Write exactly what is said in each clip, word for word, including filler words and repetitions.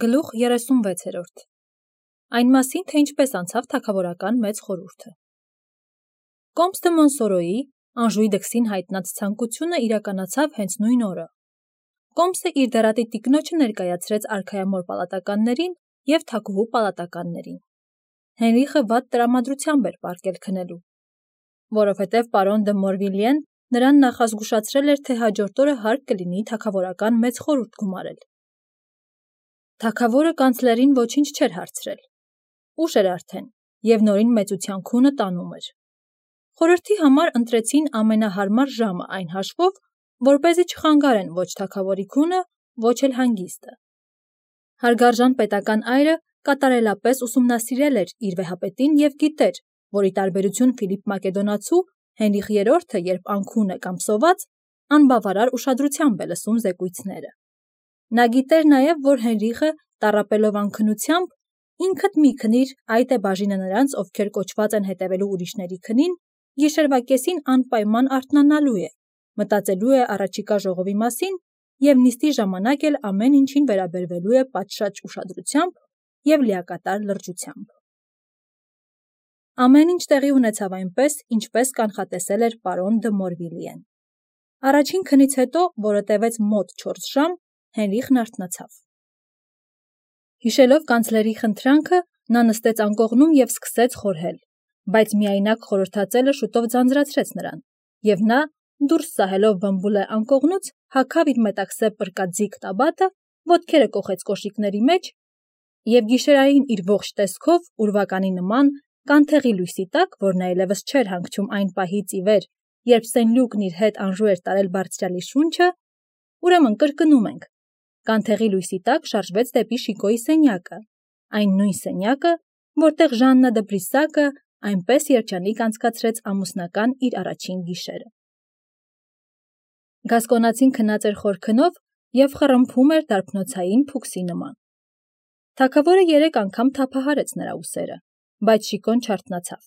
Գլուխ երեսունվեցերորդ Այն մասին, թե ինչպես անցավ թագավորական մեծ խորհուրդը։ Կոմս դը Մոնսորոյի Անժուի դքսին հայտնած ցանկությունը իրականացավ հենց նույն օրը։ Կոմսը իր դեռատի տիկնոջը ներկայացրեց արքայամոր պալատականներին և թագուհու պալատականներին։ Հենրիխը վատ տրամադրությամբ էր պառկել քնելու, որովհետև պարոն դը Մորվիլիեն նրան նախազգուշացրել էր, թե հաջորդ օրը հարկ կլինի թագավորական մեծ խորհուրդ գումարել։ Թագավորը կանցլերին ոչինչ չէր հարցրել։ Ուշ էր արդեն, և նորին մեծության քունը տանում էր։ Խորհրդի համար ընտրեցին ամենահարմար ժամը այն հաշվով, որպեսզի չխանգարեն ոչ թագավորի քունը, ոչ էլ հանգիստը։ Հարգարժան պետական այրը կատարելապես ուսումնասիրել էր իր վեհապետին և գիտեր, որ ի տարբերություն Ֆիլիպ Մակեդոնացու, Հենրիխ երրորդը, երբ անքուն է կամ սոված, անբավարար ուշադրությամբ է լսում զեկույցները։ Նա գիտեր նաև, որ Հենրիխը, տառապելով անքնությամբ, ինքդ մի քնիր, այդ է բաժինը նրանց, ովքեր կոչված են հետևելու ուրիշների քնին, գիշերվա կեսին անպայման արթնանալու է, մտածելու է առաջիկա ժողովի մասին և նիստի ժամանակ էլ ամեն ինչին վերաբերվելու է պատշաճ ուշադրությամբ և լիակատար լրջությամբ։ Ամեն ինչ տեղի ունեցավ այնպես, ինչպես կանխատեսել էր պարոն դը Մորվիլիեն։ Առաջին քնից հետո, որը տևեց մոտ չորս ժամ, Հենրիխն արթնացավ։ Հիշելով կանցլերի խնդրանքը, նա նստեց անկողնում և սկսեց խորհել, բայց միայնակ խորհրդածելը շուտով ձանձրացրեց նրան, և նա, դուրս սահելով բմբուլե անկողնուց, հագավ իր մետաքսե պրկած տաբատը, ոտքերը կոխեց կոշիկների մեջ և գիշերային իր ողջ տեսքով, ուրվականի նման, կանթեղի լույսի տակ, որն այլևս չէր հանգչում այն պահից ի վեր, երբ Սենլյուկն իր հետ Անժու էր տարել բարձրյալի շունչը, ուրեմն կրկնում ենք, կանթեղի լույսի տակ շարժվեց դեպի Շիկոյի սենյակը, այն նույն սենյակը, որտեղ Ժաննա դը Բրիսակը այնպես երջանիկ անցկացրեց ամուսնական իր առաջին գիշերը։ Գասկոնացին քնած էր խոր քնով և խռմփում էր դարբնոցային փուքսի նման։ Թագավորը երեք անգամ թափահարեց նրա ուսերը, բայց Շիկոն չարթնացավ։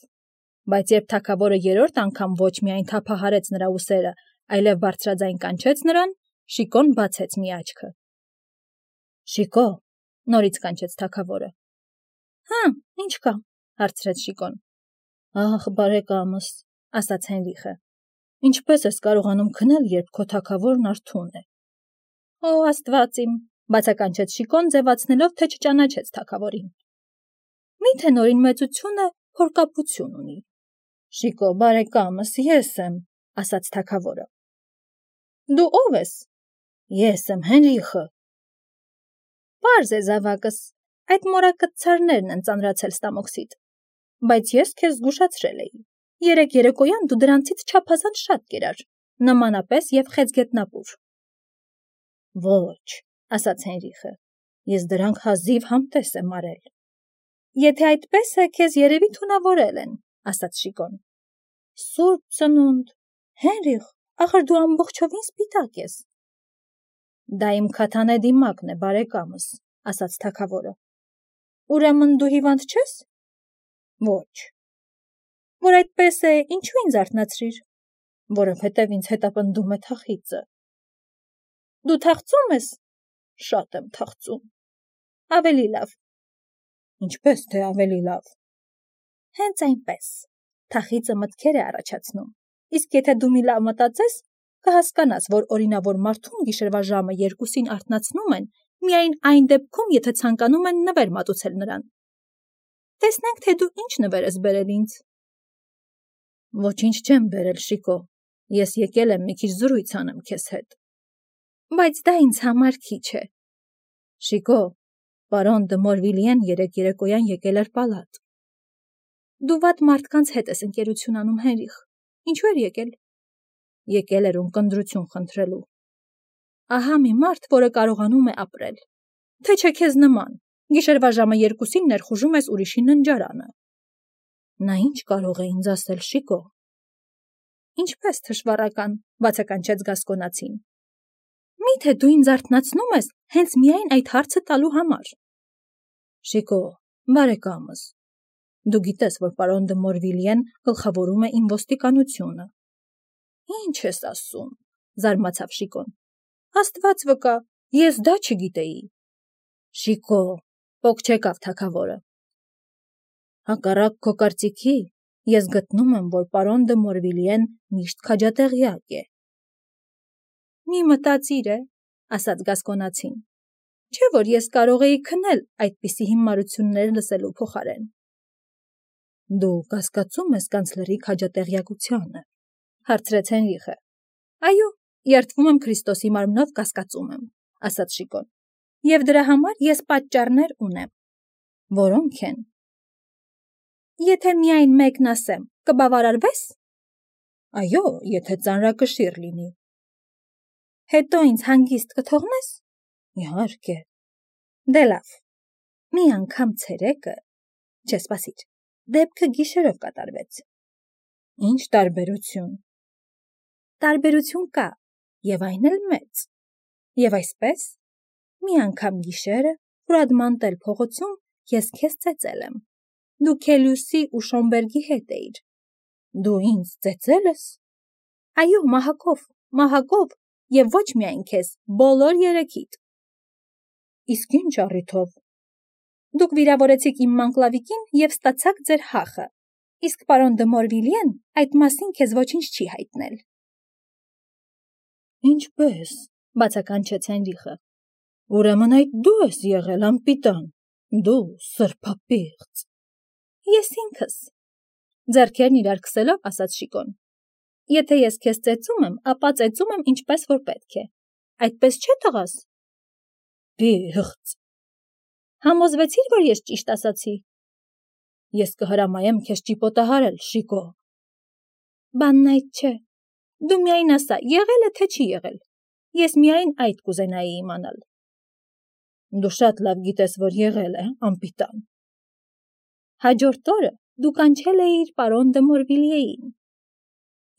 Բայց երբ թագավորը երրորդ անգամ ոչ միայն թափահարեց նրա ուսերը, այլև բարձրաձայն կանչեց նրան, Շիկոն բացեց մի աչքը։ Շիկո, նորից կանչեց թագավորը։ Հը, ինչ կա, հարցրեց Շիկոն։ Ահ, բարեկամս, ասաց Հենրիխը, ինչպես ես կարողանում քնել, երբ քո թագավորն արթուն է։ Օ, Աստված իմ, բացականչեց Շիկոն, ձևացնելով, թե չճանաչեց թագավորին։ Միթե նորին մեծությունը փորկապություն ունի։ Շիկո, բարեկամս, ես եմ, ասաց թագավորը։ Դու ով ես։ Ես եմ Հենրիխը։ Պարզ է զավակս, այդ մորակը ցարներն են ծանրացել ստամոքսիդ, բայց ես քեզ զգուշացրել էի։ Երեք երեկոյան դու դրանցից չափազանց շատ կերար, նմանապես և խեցգետնապուր։ Ոչ, ասաց Հենրիխը, ես դրանք հազիվ համտես եմ արել։ Եթե այդպես է, քեզ երևի թունավորել են, ասաց Շիկոն։ Սուրբ ծնունդ, Հենրիխ, ախր դու ամբողջովին սպիտակ ես։ Դա իմ քաթանե դիմակն է, բարեկամս, ասաց թագավորը։ Ուրեմն դու հիվանդ չես։ Ոչ։ Որ այդպես է, ինչու ինձ արթնացրիր։ Որովհետև ինձ հետապնդում է թախիծը։ Դու թախծում ես։ Շատ եմ թախծում։ Ավելի լավ։ Ինչպես թե ավելի լավ։ Հենց այնպես։ Թախիծը մտքեր է առաջացնում, իսկ եթե դու մի լավ մտածես, կհասկանաս, որ օրինավոր մարդուն գիշերվա ժամը երկուսին արթնացնում են միայն այն դեպքում, եթե ցանկանում են նվեր մատուցել նրան։ Տեսնենք, թե դու ինչ նվեր ես բերել ինձ։ Ոչինչ չեմ բերել, Շիկո, ես եկել եմ մի քիչ զրույց անեմ քեզ հետ։ Բայց դա ինձ համար քիչ է։ Շիկո, պարոն դը Մորվիլիեն երեք երեկոյան եկել էր պալատ։ Դու վատ մարդկանց հետ ես ընկերություն անում, Հենրիխ։ Ինչու էր եկել։ Եկել էր ունկնդրություն խնդրելու։ Ահա մի մարդ, որը կարողանում է ապրել։ Թե չէ քեզ նման, գիշերվա ժամը երկուսին ներխուժում ես ուրիշի ննջարանը։ Նա ինչ կարող է ինձ ասել, Շիկո։ Ինչպես թշվառական, բացականչեց Գասկոնացին։ Միթե դու ինձ արթնացնում ես հենց միայն այդ հարցը տալու համար։ Շիկո, բարեկամս, դու գիտես, որ պարոն դը Մորվիլիեն գլխավորում է իմ ոստիկանությունը։ Ինչ ես ասում, զարմացավ Շիկոն։ Աստված վկա, ես դա չգիտեի։ Շիկո, պոկ չեկավ թագավորը։ Հակառակ քո կարծիքի, ես գտնում եմ, որ պարոն դը Մորվիլիեն միշտ քաջատեղյակ է։ Մի մտածիր է, ասաց Գասկոնացին, չէ՞ որ ես կարող էի քնել այդպիսի հիմարություններ լսելու փոխարեն։ Դու կասկածում ես կանցլերի քաջատեղյակությանը, հարցրեց Հենրիխը։ Այո, երդվում եմ Քրիստոսի մարմնով կասկածում եմ, ասաց Շիկոն, և դրա համար ես պատճառներ ունեմ։ Որոնք են։ Եթե միայն մեկն ասեմ, կբավարարվես։ Այո, եթե ծանրակշիռ լինի։ Հետո ինձ հանգիստ կթողնես։ Իհարկե։ Դե լավ, մի անգամ ցերեկը, չէ, սպասիր, դեպքը գիշերով կատարվեց։ Ինչ տարբերություն։ Տարբերություն կա, և այն էլ մեծ։ Եվ այսպես, մի անգամ գիշերը Ֆրադմանտել փողոցում ես քեզ ծեծել եմ։ Դու Քելիուսի ու Շոմբերգի հետ էիր։ Դու ինձ ծեծել ես։ Այո, մահակով, մահակով, և ոչ միայն քեզ, բոլոր երեքիդ։ Իսկ ինչ առիթով։ Դուք վիրավորեցիք իմ մանկլավիկին և ստացաք ձեր հախը, իսկ պարոն դը Մորվիլիեն այդ մասին քեզ ոչինչ չի հայտնել։ Ինչպես, բացականչեց Հենրիխը։ Ուրեմն այդ դու ես եղել անպիտան, դու սրբապիղծ։ Ես ինքս, ձեռքերն իրար քսելով, ասաց Շիկոն։ Եթե ես քեզ ծեծում եմ, ապա ծեծում եմ ինչպես որ պետք է։ Այդպես չէ՞ տղաս։ Պիղծ։ Համոզվեցի՞ր, որ ես ճիշտ ասացի։ Ես կհրամայեմ քեզ ճիպոտահարել, Շիկո։ Բանն այդ չէ։ Դու միայն ասա, եղել է, թե չի եղել։ Ես միայն այդ կուզենայի իմանալ։ Դու շատ լավ գիտես, որ եղել է, անպիտան։ Հաջորդ օրը դու կանչել էիր պարոն դը Մորվիլիեին։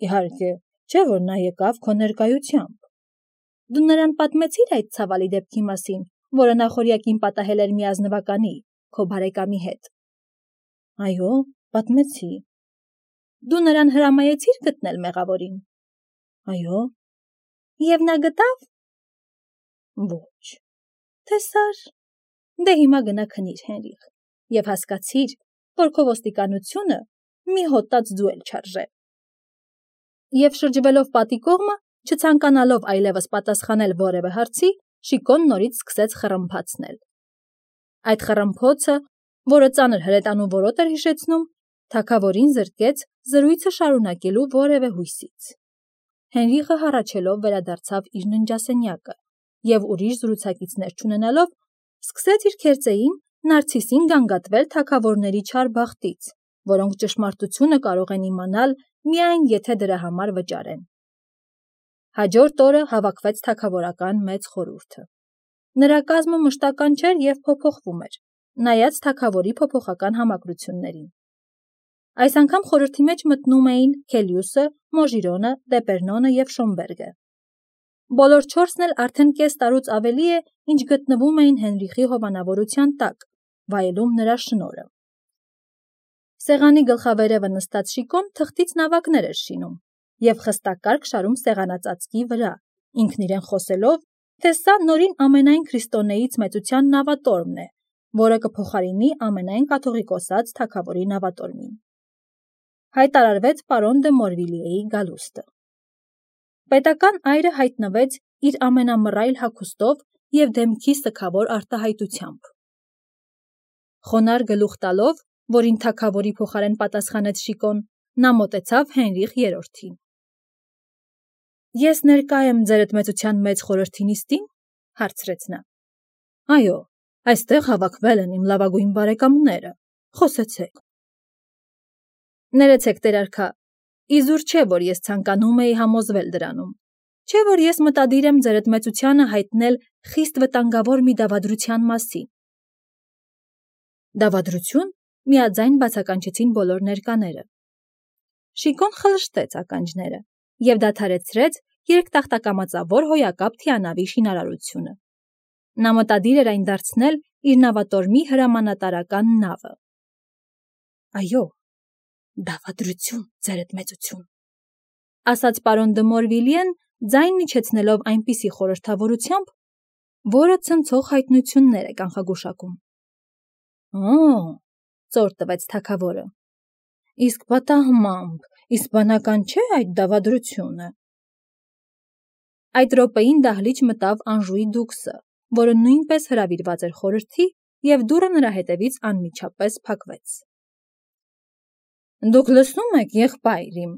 Իհարկե, չէ՞ որ նա եկավ քո ներկայությամբ։ Դու նրան պատմեցի՞ր այդ ցավալի դեպքի մասին, որը նախօրյակին պատահել էր մի ազնվականի, քո բարեկամի հետ։ Այո, պատմեցի։ Դու նրան հրամայեցի՞ր գտնել մեղավորին։ Այո։ Եվ նա գտավ։ Ոչ։ Տեսար։ Դե հիմա գնա քնիր, Հենրիխ, և հասկացիր, որ քո ոստիկանությունը մի հոտած ձու էլ չարժե։ Եվ շրջվելով պատի կողմը, չցանկանալով այլևս պատասխանել որևէ հարցի, Շիկոն նորից սկսեց խռմփացնել։ Այդ խռմփոցը, որը ծանր հրետանու որոտ էր հիշեցնում, թագավորին զրկեց զրույցը շարունակելու որևէ հույսից։ Հենրիխը հառաչելով վերադարձավ իր ննջասենյակը և ուրիշ զրուցակիցներ չունենալով, սկսեց իր քերծեին Նարցիսին գանգատվել թագավորների չար բախտից, որոնք ճշմարտությունը կարող են իմանալ միայն եթե դրա համար վճարեն։ Հաջորդ օրը հավաքվեց թագավորական մեծ խորհուրդը։ Նրա կազմը մշտական չէր և փոփոխվում էր, նայած թագավորի փոփոխական համակրություններին։ Այս անգամ խորհրդի մեջ մտնում էին Քելիուսը, Մոժիրոնը, Դեպերնոնը և Շոմբերգը։ Բոլոր չորսն էլ արդեն կես տարուց ավելի է, ինչ գտնվում էին Հենրիխի հովանավորության տակ, վայելում նրա շնորհը։ Սեղանի գլխավերևը նստած Շիկոն թղթից նավակներ էր շինում և խստակարգ շարում սեղանածածկի վրա, ինքն իրեն խոսելով, թե սա նորին ամենայն քրիստոնեից մեծության նավատորմն է, որը կփոխարինի ամենայն կաթողիկոսաց թագավորի նավատորմին։ Հայտարարվեց պարոն դը Մորվիլիեի գալուստը։ Պետական այրը հայտնվեց իր ամենամռայլ հագուստով և դեմքի սգավոր արտահայտությամբ։ Խոնարհ գլուխ տալով, որին թագավորի փոխարեն պատասխանեց Շիկոն, նա մոտեցավ Հենրիխ երրորդին։ Ես ներկա եմ ձերդ մեծության մեծ խորհրդի նիստին, հարցրեց նա։ Այո, այստեղ հավաքվել են իմ լավագույն բարեկամները, խոսեցեք։ Ներեցեք, տեր արքա, իզուր չէ, որ ես ցանկանում էի համոզվել դրանում, չէ, որ ես մտադիր եմ ձերդ մեծությանը հայտնել խիստ վտանգավոր մի դավադրության մասին։ Դավադրություն, միաձայն բացականչեցին բոլոր ներկաները։ Շիկոն խլշտեց ականջները և դադարեցրեց երկտախտակամածավոր հոյակապ թիանավի շինարարությունը։ Նա մտադիր էր այն դարձնել իր նավատորմի հրամանատարական նավը։ Այո, դավադրություն, ձերդ մեծություն, ասաց պարոն դը Մորվիլիեն, ձայնն իջեցնելով այնպիսի խորհրդավորությամբ, որը ցնցող հայտնություններ է կանխագուշակում։ Օ, ծոր տվեց թագավորը։ Իսկ պատահմամբ, իսկ բանական չէ այդ դավադրությունը։ Այդ րոպեին դահլիճ մտավ Անժուի դուքսը, որը նույնպես հրավիրված էր խորհրդի, և դուռը նրա հետևից անմիջապես փակվեց։ Դուք լսում եք, եղբայր իմ,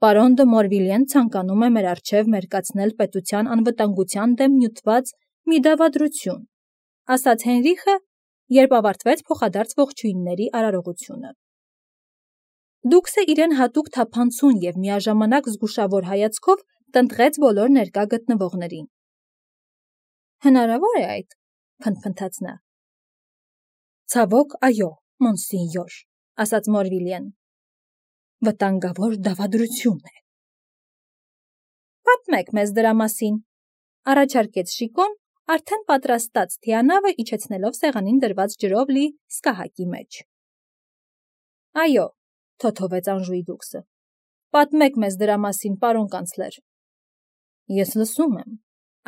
պարոն դը Մորվիլիեն ցանկանում է մեր առջև մերկացնել պետության անվտանգության դեմ նյութված մի դավադրություն, ասաց Հենրիխը, երբ ավարտվեց փոխադարձ ողջույնների արարողությունը։ Դուքսը իրեն հատուկ թափանցուն և միաժամանակ զգուշավոր հայացքով տնտղեց բոլոր ներկա գտնվողներին։ Հնարավոր է այդ, փնթփնթաց նա։ Ցավոք, այո, մոնսինյոր, ասաց Մորվիլիեն։ Վտանգավոր դավադրություն է։ Պատմեք մեզ դրա մասին, առաջարկեց Շիկոն, արդեն պատրաստած թիանավը իջեցնելով սեղանին դրված ջրով լի սկահակի մեջ։ Այո, թոթովեց Անժուի դուքսը։ Պատմեք մեզ դրա մասին, պարոն կանցլեր։ Ես լսում եմ,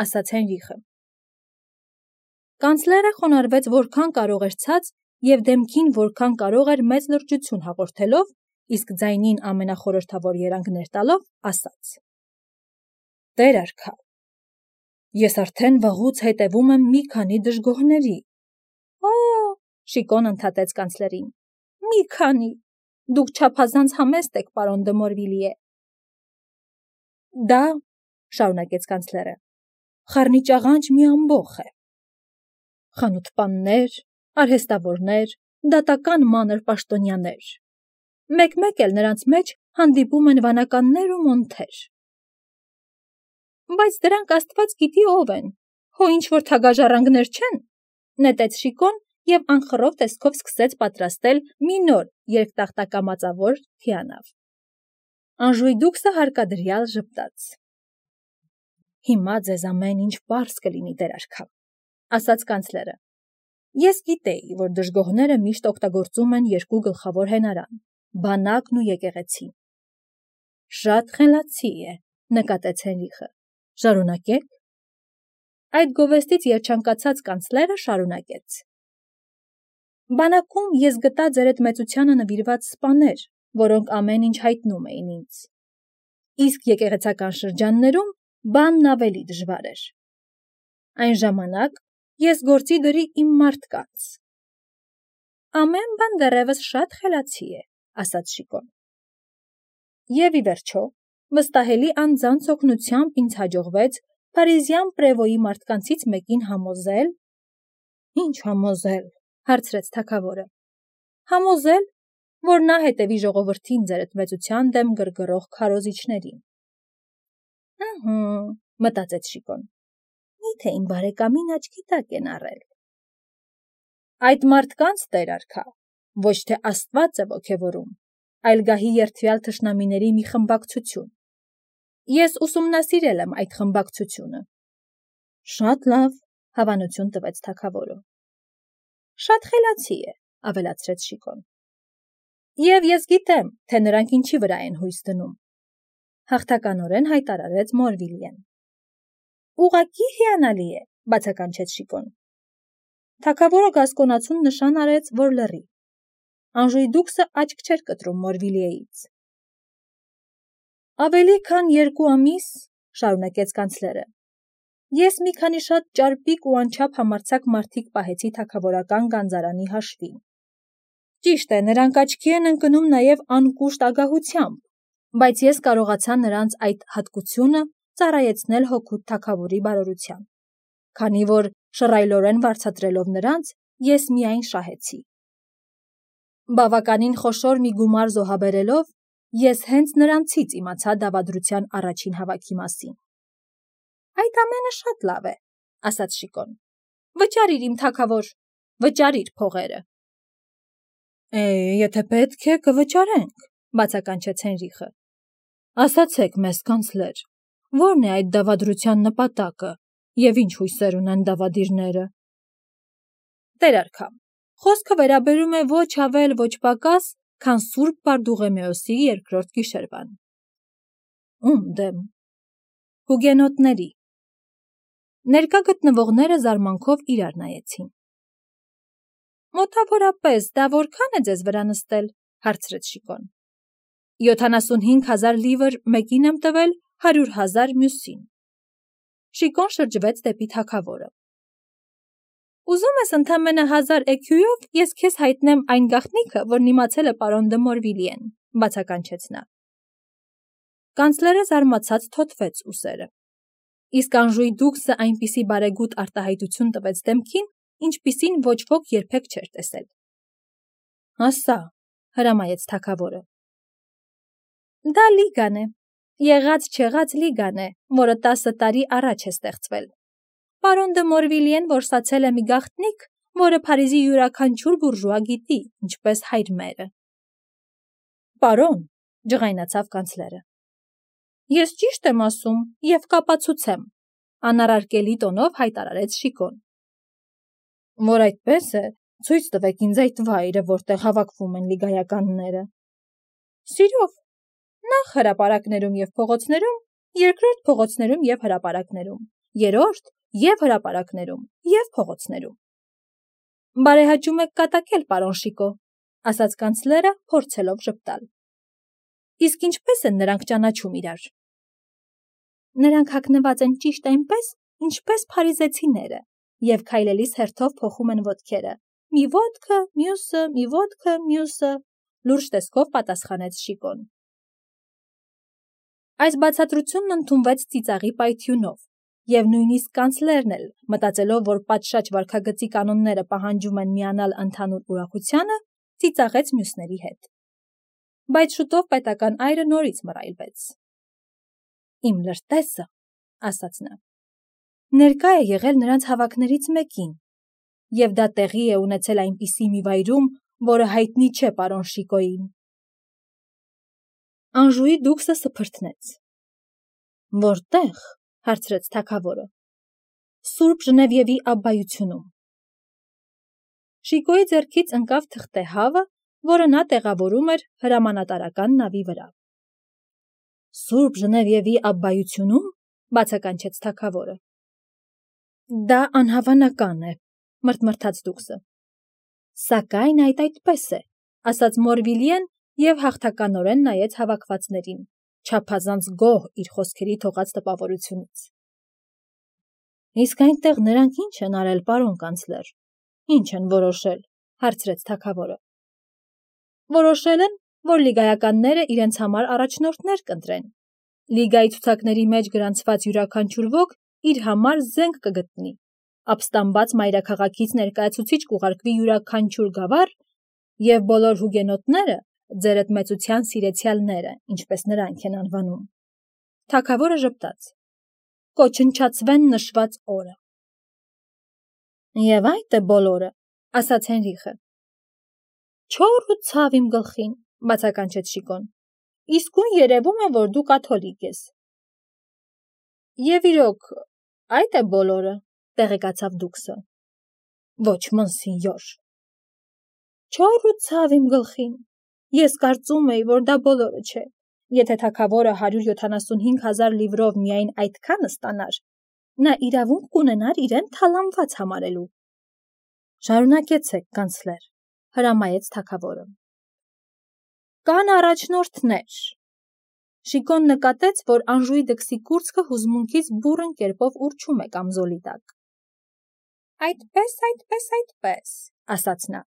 ասաց Հենրիխը։ Կանցլերը խոնարհվեց որքան կարող էր ցած և դեմքին որքան կարող էր մեծ լրջություն հաղորդելով, իսկ ձայնին ամենախորհրդավոր երանգներ տալով, ասաց. Տեր արքա, ես արդեն վաղուց հետևում եմ մի քանի դժգոհների։ Օ, Շիկոն ընդհատեց կանցլերին։ Մի քանի, դուք չափազանց համեստ եք, պարոն դը Մորվիլիե։ Դա, շարունակեց կանցլերը, խառնիճաղանճ մի ամբոխ է։ Խանութպաններ, արհեստավորներ, դատական մանր պաշտոնյաներ։ Մեկ-մեկ էլ նրանց մեջ հանդիպում են վանականներ ու մոնթեր։ Բայց դրանք աստված գիտի ով են, հո ինչ-որ թագաժառանգներ չեն, նետեց Շիկոն և անխռով տեսքով սկսեց պատրաստել մի նոր երկտախտակամածավոր թիանավ։ Անժուի դուքսը հարկադրյալ ժպտաց։ Հիմա ձեզ ամեն ինչ պարզ կլինի, տեր արքա, ասաց կանցլերը։ Ես գիտեի, որ դժգոհները միշտ օգտագործում են երկու գլխավոր հենարան՝ բանակն ու եկեղեցին։ Շատ խելացի է, նկատեց Հենրիխը։ Շարունակեք։ Այդ գովեստից երջանկացած կանցլերը շարունակեց. Բանակում ես գտա ձեր այդ մեծությանը նվիրված սպաներ, որոնք ամեն ինչ հայտնում էին ինձ։ Իսկ եկեղեցական շրջաններում բանն ավելի դժվար էր։ Այն ժամանակ ես գործի դրի իմ մարդկանց։ Ամեն բան դեռևս շատ խելացի է, ասաց Շիկոն։ Եվ ի վերջո, վստահելի անձանց օգնությամբ ինձ հաջողվեց Փարիզյան պրևոյի մարդկանցից մեկին համոզել։ Ինչ համոզել, հարցրեց թագավորը։ Համոզել, որ նա հետևի ժողովրդին ձեր մեծության դեմ գրգռող քարոզիչներին։ Ըհը, մտածեց Շիկոն։ Միթե իմ բարեկամին աչքի տակ են առել։ Այդ մարդկանց, տեր արքա, ոչ թե Աստված է ոգևորում, այլ գահի երդվյալ թշնամիների մի խմբակցություն։ Ես ուսումնասիրել եմ այդ խմբակցությունը։ Շատ լավ, հավանություն տվեց թագավորը։ Շատ խելացի է, ավելացրեց Շիկոն։ Եվ ես գիտեմ, թե նրանք ինչի վրա են հույս դնում, հաղթականորեն հայտարարեց Մորվիլիեն։ Ուղղակի հիանալի է, բացականչեց Շիկոն։ Թագավորը գասկոնացուն նշան արեց, որ լռի։ Անժուի դուքսը աչք չէր կտրում Մորվիլիեից։ Ավելի քան երկու ամիս, շարունակեց կանցլերը, ես մի քանի շատ ճարպիկ ու անչափ համարձակ մարդիկ պահեցի թագավորական գանձարանի հաշվին։ Ճիշտ է, նրանք աչքի են ընկնում նաև անկուշտ ագահությամբ, բայց ես կարողացա նրանց այդ հատկությունը ծառայեցնել հօգուտ թագավորի բարօրության, քանի որ շռայլորեն վարձատրելով նրանց, ես միայն շահեցի։ Բավականին խոշոր մի գումար զոհաբերելով, ես հենց նրանցից իմացա դավադրության առաջին հավաքի մասին։ Այդ ամենը շատ լավ է, ասաց Շիկոն։ Վճարիր իմ թագավոր, վճարիր փողերը։ Է, եթե պետք է, կվճարենք, բացականչեց Հենրիխը։ Ասացեք մեզ, կանցլեր, ո՞րն է այդ դավադրության նպատակը և ինչ հույսեր ունեն դավադիրները։ Տեր արքա, խոսքը վերաբերում է ոչ ավել, ոչ պակաս, քան Սուրբ Բարդուղեմեոսի երկրորդ գիշերվան։ Ում դեմ։ Հուգենոտների։ Ներկա գտնվողները զարմանքով իրար նայեցին։ Մոտավորապես դա որքան է ձեզ վրա նստել, հարցրեց Շիկոն։ յոթանասունհինգ հազար լիվր մեկին եմ տվել, հարյուր հազար մյուսին։ Շիկոն շրջվեց դեպի թագավորը։ Ուզում ես ընդամենը հազար էքյուով ես քեզ հայտնեմ այն գաղտնիքը, որն իմացել է պարոն դը Մորվիլիեն, բացականչեց նա։ Կանցլերը զարմացած թոթվեց ուսերը։ Իսկ Անժուի դուքսը այնպիսի բարեգութ արտահայտություն տվեց դեմքին, ինչպիսին ոչ ոք երբեք չէր տեսել։ Ասա, հրամայեց թագավորը։ Դա լիգան է, եղած չեղած լիգան է, որը տասը տարի առաջ է ստեղծվել։ Պարոն դը Մորվիլիեն որսացել է մի գաղտնիք, որը Փարիզի յուրաքանչյուր բուրժուա գիտի, ինչպես հայր մերը։ Պարոն, ջղայնացավ կանցլերը։ Ես ճիշտ եմ ասում և կապացուցեմ, անառարկելի տոնով հայտարարեց Շիկոն։ Որ այդպես է, ցույց տվեք ինձ այդ վայրը, որտեղ հավաքվում են լիգայականները։ Սիրով, նախ հրապարակներում և փողոցներում, երկրորդ փողոցներում և հրապարակներում, երրորդ և հրապարակներում և փողոցներում։ Բարեհաճում եք կատակել, պարոն Շիկո, ասաց կանցլերը, փորձելով ժպտալ։ Իսկ ինչպես են նրանք ճանաչում իրար։ Նրանք հագնված են ճիշտ այնպես, ինչպես փարիզեցիները, և քայլելիս հերթով փոխում են ոտքերը։ Մի ոտքը, մյուսը, մի ոտքը, մյուսը, լուրջ տեսքով պատասխանեց Շիկոն։ Այս բացատրությունն ընդունվեց ծիծաղի պայթյունով, և նույնիսկ կանցլերն էլ, մտածելով, որ պատշաճ վարքագծի կանոնները պահանջում են միանալ ընդհանուր ուրախությանը, ծիծաղեց մյուսների հետ։ Բայց շուտով պետական այրը նորից մռայլվեց։ Իմ լրտեսը, ասաց նա, ներկա է եղել նրանց հավաքներից մեկին, և դա տեղի է ունեցել այնպիսի մի վայրում, որը հայտնի չէ պարոն Շիկոյին։ Անժուի դուքսը սփրթնեց։ Որտե՞ղ, հարցրեց թագավորը։ Սուրբ Ժնևիևի աբբայությունում։ Շիկոյի ձեռքից ընկավ թղթե հավը, որը նա տեղավորում էր հրամանատարական նավի վրա։ Սուրբ Ժնևիևի աբբայությունում, բացականչեց թագավորը։ Դա անհավանական է, մրթմրթաց դուքսը։ Սակայն այդ այդպես է, ասաց Մորվիլիեն և հաղթականորեն նայեց հավաքվածներին, չափազանց գոհ իր խոսքերի թողած տպավորությունից։ Իսկ այնտեղ նրանք ինչ են արել, պարոն կանցլեր, ինչ են որոշել, հարցրեց թագավորը։ Որոշել են, որ լիգայականները իրենց համար առաջնորդներ կընտրեն։ Լիգայի ցուցակների մեջ գրանցված յուրաքանչյուր ոք իր համար զենք կգտնի, ապստամբած մայրաքաղաքից ներկայացուցիչ կուղարկվի յուրաքանչյուր գավառ, և բոլոր հուգենոտները, ձերդ մեծության սիրեցյալները, ինչպես նրանք են անվանում։ Թագավորը ժպտաց։ Կոչնչացվեն նշված օրը։ Եվ այդ է բոլորը, ասաց Հենրիխը։ Չոր ու ցավ իմ գլխին, բացականչեց Շիկոն։ Իսկույն երևում է, որ դու կաթոլիկ ես։ Եվ իրոք, այդ է բոլորը, տեղեկացավ դուքսը։ Ոչ, մոնսինյոր։ Չոր ու ցավ իմ գլխին։ Ես կարծում էի, որ դա բոլորը չէ։ Եթե թագավորը հարյուր յոթանասունհինգ հազար լիվրով միայն այդքանը ստանար, նա իրավունք կունենար իրեն թալանված համարելու։ Շարունակեցեք, կանցլեր, հրամայեց թագավորը։ Կան առաջնորդներ։ Շիկոն նկատեց, որ Անժուի դքսի կուրծքը հուզմունքից բուռն կերպով ուռչում է կամզոլի տակ։ Այդպես, այդպես, այդպես, ասաց նա։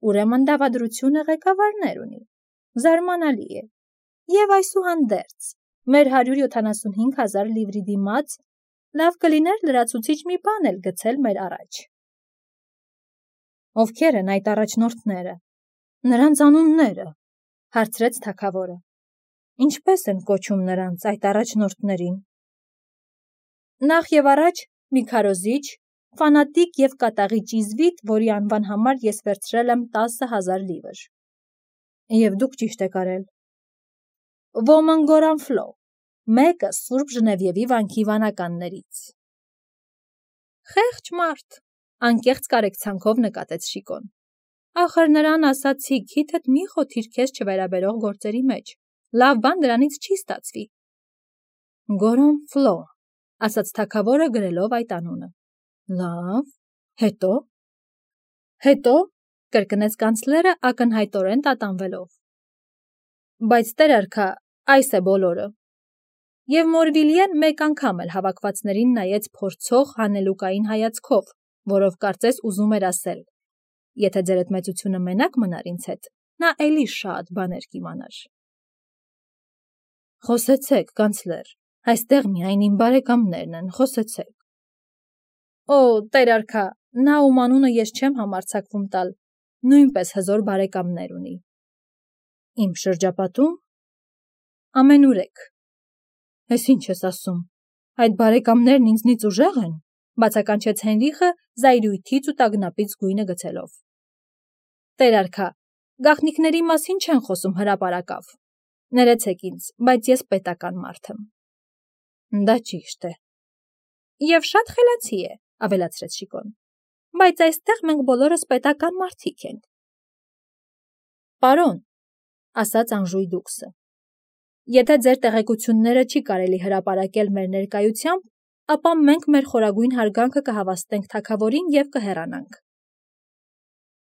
Ուրեմն դավադրությունը ղեկավարներ ունի։ Զարմանալի է։ Եվ այսուհանդերձ, մեր հարյուր յոթանասունհինգ հազար լիվրի դիմաց լավ կլիներ լրացուցիչ մի բան էլ գցել մեր առաջ։ Ովքեր են այդ առաջնորդները։ Նրանց անունները, հարցրեց թագավորը։ Ինչպես են կոչում նրանց այդ առաջնորդներին։ Նախ եւ առաջ մի քարոզիչ, ֆանատիկ եւ կատաղի ճիզվիտ, որի անվան համար ես վերցրել եմ տասը հազար լիվր։ Եվ դուք ճիշտ եք արել։ Ոմն Գորանֆլո, մեկը Սուրբ Ժնևիևի վանքի վանականներից։ Խեղճ մարդ, անկեղծ կարեկցանքով նկատեց Շիկոն։ Ախր նրան ասացի, քիթդ մի խոթիր քեզ չվերաբերող գործերի մեջ։ Լավ բան դրանից չի ստացվի։ Գորանֆլո, ասաց թագավորը գրելով այդ անունը։ Լավ, հետո։ Հետո, կրկնեց կանցլերը ակնհայտորեն տատանվելով։ Բայց տեր արքա, այս է բոլորը։ Եվ Մորվիլիեն մեկ անգամ էլ հավաքվածներին նայեց փորձող հանելուկային հայացքով, որով կարծես ուզում էր ասել. Եթե ձեր այդ մեծությունը մենակ մնար ինձ հետ, նա էլի շատ բաներ կիմանար։ Խոսեցեք, կանցլեր, այստեղ միայն իմ բարեկամներն են, խոսեցեք։ Օ, տեր արքա, նա ում անունը ես չեմ համարձակվում տալ, նույնպես հզոր բարեկամներ ունի։ Իմ շրջապատում ամենուրեք։ Ես ինչ ես ասում, այդ բարեկամներն ինձնից ուժեղ են, բացականչեց Հենրիխը զայրույթից ու տագնապից գույնը գցելով։ Տեր արքա, գաղտնիքների մասին չեն խոսում հրապարակավ։ Ներեցեք ինձ, բայց ես պետական մարդ եմ։ Դա ճիշտ է։ Եվ շատ խելացի է, ավելացրեց Շիկոն։ Բայց այստեղ մենք բոլորս պետական մարդիկ ենք։ Պարոն, ասաց Անժուի դուքսը, եթե ձեր տեղեկությունները չի կարելի հրապարակել մեր ներկայությամբ, ապա մենք մեր խորագույն հարգանքը կհավաստենք թագավորին և կհեռանանք։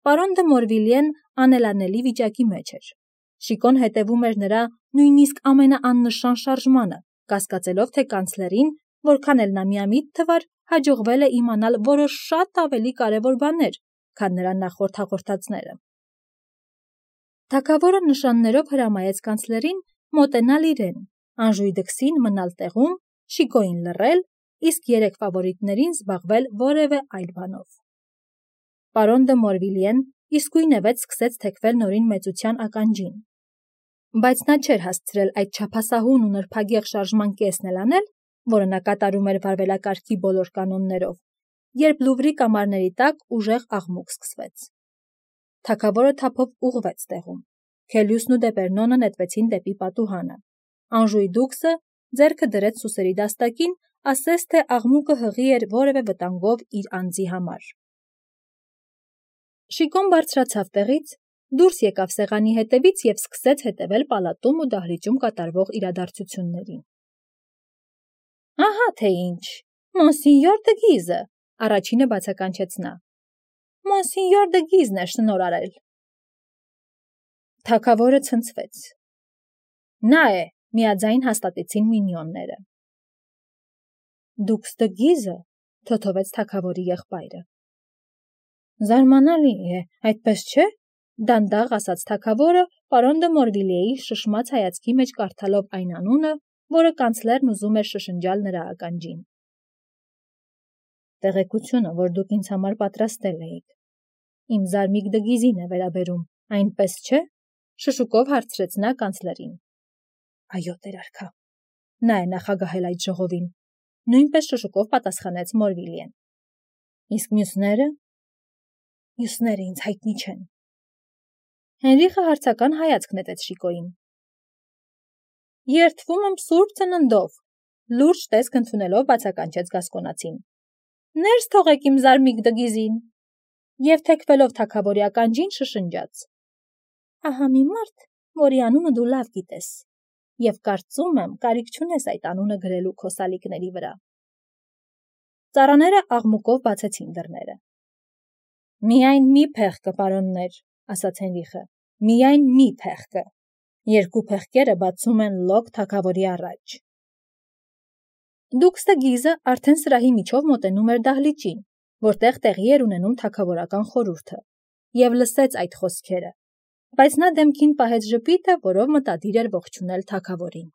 Պարոն դը Մորվիլիեն անելանելի վիճակի մեջ էր։ Շիկոն հետևում էր նրա նույնիսկ ամենաաննշան շարժմանը, կասկածելով, թե կանցլերին, որքան էլ նա միամիտ թվար, հաջողվել է իմանալ որոշ շատ ավելի կարևոր բաներ, քան նրա նախորդ հաղորդածները։ Թագավորը նշաններով հրամայեց կանցլերին մոտենալ իրեն, Անժուի դքսին մնալ տեղում, Շիկոյին լռել, իսկ երեք ֆավորիտներին զբաղվել որևէ այլ բանով։ Պարոն դը Մորվիլիեն իսկույնևեթ սկսեց թեքվել նորին մեծության ականջին։ Բայց նա չէր հասցրել այդ չափասահուն ու նրբագեղ շարժման կեսն էլ անել, որը նա կատարում էր վարվելակարգի բոլոր կանոններով, երբ Լուվրի կամարների տակ ուժեղ աղմուկ սկսվեց։ Թագավորը թափով ուղղվեց տեղում։ Քելիուսն ու Դեպերնոնը նետվեցին դեպի պատուհանը։ Անժուի դուքսը ձեռքը դրեց սուսերի դաստակին, ասես թե աղմուկը հղի էր որևէ վտանգով իր անձի համար։ Շիկոն բարձրացավ տեղից, դուրս եկավ սեղանի հետևից և սկսեց հետևել պալատում ու դահլիճում կատարվող իրադարձություններին։ Ահա թե ինչ, Մոնսինյոր դը Գիզը, առաջինը բացականչեց նա։ Մոնսինյոր դը Գիզն է շնորհարել։ Թագավորը ցնցվեց։ Նա է, միաձայն հաստատեցին մինիոնները։ Դուքս դը Գիզը, թոթովեց թագավորի եղբայրը։ Զարմանալի է, այդպես չէ, դանդաղ ասաց թագավորը, պարոն դը Մորվիլիեի շշմած հայացքի մեջ կարդալով այն անունը, որը կանցլերն ուզում էր շշնջալ նրա ականջին։ Տեղեկությունը, որ դուք ինձ համար պատրաստել էիք, իմ զարմիկ դը Գիզին է վերաբերում, այնպես չէ, շշուկով հարցրեց նա կանցլերին։ Այո, տեր արքա, նա է նախագահել այդ ժողովին, նույնպես շշուկով պատասխանեց Մորվիլիեն։ Իսկ մյուսները։ Մյուսները ինձ հայտնի չեն։ Հենրիխը հարցական հայացք նետեց Շիկոյին։ Երդվում եմ սուրբ ծննդով, լուրջ տեսք ընդունելով բացականչեց գասկոնացին։ Ներս թողեք իմ զարմիկ դը Գիզին։ Եվ թեքվելով թագավորի ականջին շշնջաց։ Ահա մի մարդ, որի անունը դու լավ գիտես, և կարծում եմ, կարիք չունես այդ անունը գրելու քո սալիկների վրա։ Ծառաները աղմուկով բացեցին դռները։ Միայն մի փեղկը, պարոններ, ասաց Հենրիխը, միայն մի փեղկը։ Երկու փեղկերը բացում են լոկ թագավորի առաջ։ Դուքս դը Գիզը արդեն սրահի միջով մոտենում էր դահլիճին, որտեղ տեղի էր ունենում թագավորական խորհուրդը, և լսեց այդ խոսքերը, բայց նա դեմքին պահեց ժպիտը, որով մտադիր էր ողջունել թագավորին։